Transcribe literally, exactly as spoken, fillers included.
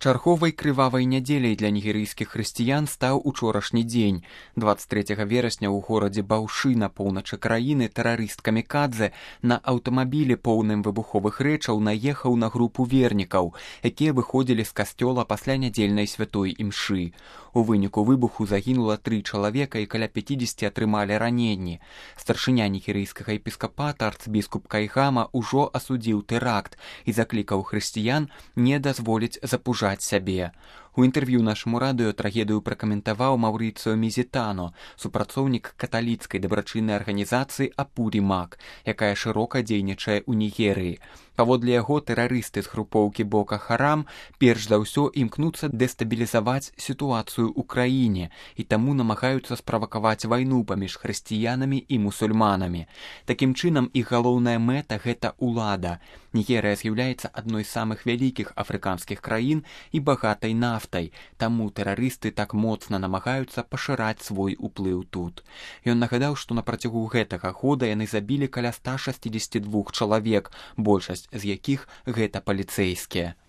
Чарговай крывавай нядзеляй для нігерыйскіх хрысціян стаў учорашні дзень. дваццаць трэцяга верасня ў горадзе Баўшы на поўначы краіны тэрарыст камікадзе на аўтамабілі поўным выбуховых рэчаў наехаў на групу вернікаў, якія выходзілі з касцёла пасля нядзельнай святой імшы. У выніку выбуху загінула тры чалавека і каля пяцідзесяці атрымалі раненні. Старшыня нігерыйскага епіскапата арцбіскуп Кайгама ўжо асудзіў тэракт і заклікаў хрысціян не дазволіць запужаць сябе. У інтэрв'ю нашаму радыё трагедыю пракаментаваў Маўрыцыё Мізітано, супрацоўнік каталіцкай дабрачыннай арганізацыі Апурі Мак, якая шырока дзейнічае ў Нігерыі. Паводле яго, тэрарысты з групоўкі Бока Харам перш за ўсё імкнуцца дэстабілізаваць сітуацыю ў краіне і таму намагаюцца справакаваць вайну паміж хрысціянамі і мусульманамі. Такім чынам, іх галоўная мэта – гэта ўлада. Нігерыя з'яўляецца адной з самых вялікіх афрыканскіх краін і багатай нафтай, таму тэрарысты так моцна намагаюцца пашыраць свой уплыў тут. Ён нагадаў, што на працягу гэтага года яны забілі каля ста шасцідзесяці двух чалавек, большасць з якіх гэта паліцэйскія.